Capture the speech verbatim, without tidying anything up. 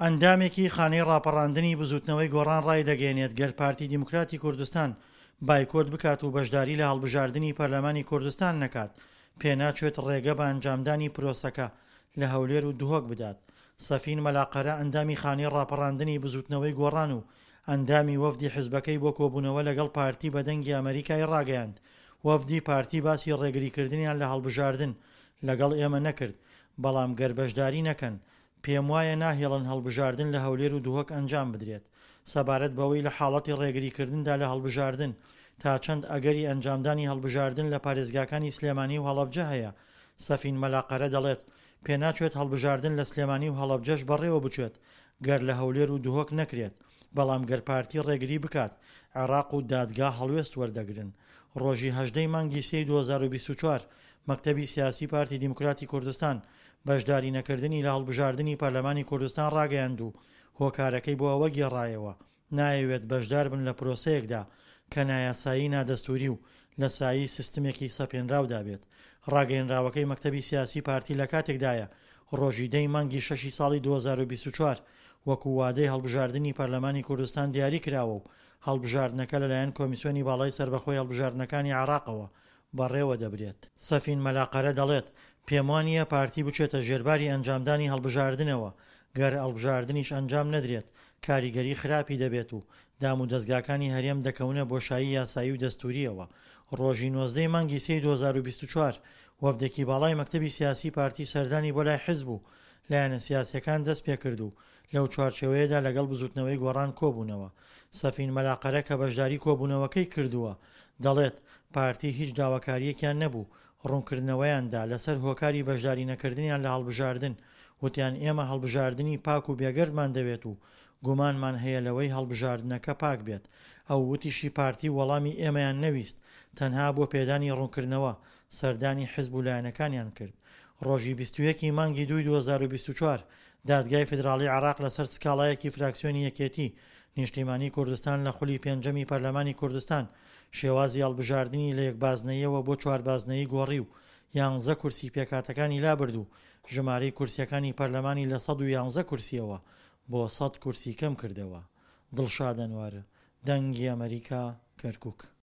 ئەندامێکی خانەی ڕاپەڕاندنی بزوتنەوەی گۆڕان ڕایدەگەیەنێت گەر پارتی دیموکراتی کوردستان بایکۆت بکات و بەشداری لە هەڵبژاردنی پەرلەمانی کوردستان نەکات، پێناچێت ڕێگە بە ئەنجامدانی پرۆسەکە لە هەولێر و دهۆک بدات. سەفین مەلا قەرە ئەندامی خانەی ڕاپەڕاندنی بزوتنەوەی گۆڕان و ئەندامی وەفدی حزبەکەی بۆ کۆبوونەوە لەگەڵ پارتی بە دەنگی ئەمەریکای ڕاگەیاند وەفدی پارتی باسی ڕێگریکردنیان لە هەڵبژاردن لەگەڵ ئێمە نەکرد، بەڵام گەر بەشداری نەکەن، پێموایە ناهێڵن هەڵبژاردن لە هەولێر و دهۆک ئەنجام بدرێت. سەبارەت بەوەی لە حاڵەتی ڕێگریکردندا لە هەڵبژاردن، تا چەند ئەگەری ئەنجامدانی هەڵبژاردن لە پارێزگاکانی سلێمانی و هەڵەبجە هەیە، سەفین مەلا قەرە دەڵێت، پێناچێت هەڵبژاردن لە سلێمانی و هەڵەبجەش بەڕێوە بچێت گەر لە هەولێر و دهۆک نەکرێت، بەڵام گەر پارتی ڕێگری بکات، عێراق و دادگا هەڵوێست وەردەگرن. ڕۆژی هەژدە ی مانگی سێی دوو هەزار و بیست و چوار مەکتەبی سیاسی پارتی دیموکراتی کوردستان بەشداری نەکردنی لە هەڵبژاردنی پەرلەمانی کوردستان ڕاگەیاند و هۆکارەکەی بۆ ئەوە گێڕایەوە نایەوێت بەشداربن لە پرۆسەیەکدا کە نایاسایی نادەستوری و لە سایەی سیستمێکی سەپێنراودا بێت. ڕاگەیەنراوەکەی مەکتەبی سیاسی پارتی لە کاتێکدایە ڕۆژی دە ی مانگی شەشی ساڵی دوو هەزار و بیست و چوار وەکو وادەی هەڵبژاردنی پەرلەمانی کوردستان دیاری کراوە و هەڵبژاردنەکە لەلایەن کۆمیسیۆنی باڵای سەربەخۆی هەڵبژاردنەکانی عێراقەوە بەڕێوەدەبرێت. سەفین مەلا قەرە دەڵێت، پێموانییە پارتی بچێتە ژێرباری ئەنجامدانی هەڵبژاردنەوە، گەر ەڵبژاردنیش ئەنجام نەدرێت کاریگەری خراپی دەبێت و دامودەزگاکانی هەرێم دەکەونە بۆشایی یاسایی و دەستورییەوە. ڕۆژی نۆزدە ی مانگی سێی دوو هەزار و بیست و چوار وەفدێکی باڵای مەکتەبی سیاسی پارتی سەردانی بۆ لای حزب و لایەنە سیاسییەکان دەستپێکرد و لەو چوارچێوەیەدا لەگەڵ بزوتنەوەی گۆڕان کۆبوونەوە. سەفین مەلا قەرە کە بەشداری کۆبوونەوەکەی کردووە، دەڵێت، پارتی هیچ داواکارییەکیان نەبوو، ڕوونکردنەوەیان دا لەسەر هۆکاری بەشداری نەکردنیان لە هەڵبژاردن، وتیان ئێمە هەڵبژاردنی پاک و بێگەردمان دەوێت و گومانمان هەیە لەوەی هەڵبژاردنەکە پاک بێت. ئەو وتیشی پارتی وەڵامی ئێمەیان نەویست، تەنها بۆ پێدانی ڕوونکردنەوە سەردانی حزب و لایەنەکانیان کرد. ڕۆژی بیست و یەک ی مانگی دووی دوو هەزار و بیست و چوار دادگای فیدراڵی عێراق لەسەر سکاڵایەکی فراکسیۆنی یەکێتی نیشتیمانی کوردستان لە خولی پێنجەمی پەرلەمانی کوردستان شێوازی هەڵبژاردنی لە یەک بازنەییەوە بۆ چوار بازنەیی گۆڕی و یانزە کورسی پێکهاتەکانی لابرد و ژمارەی کورسیەکانی پەرلەمانی لە سەد و یانزە کورسیەوە بۆ سەد کورسی کەمکردەوە. دڵشاد ئەنوەر، دەنگی ئەمەریکا، کەرکوک.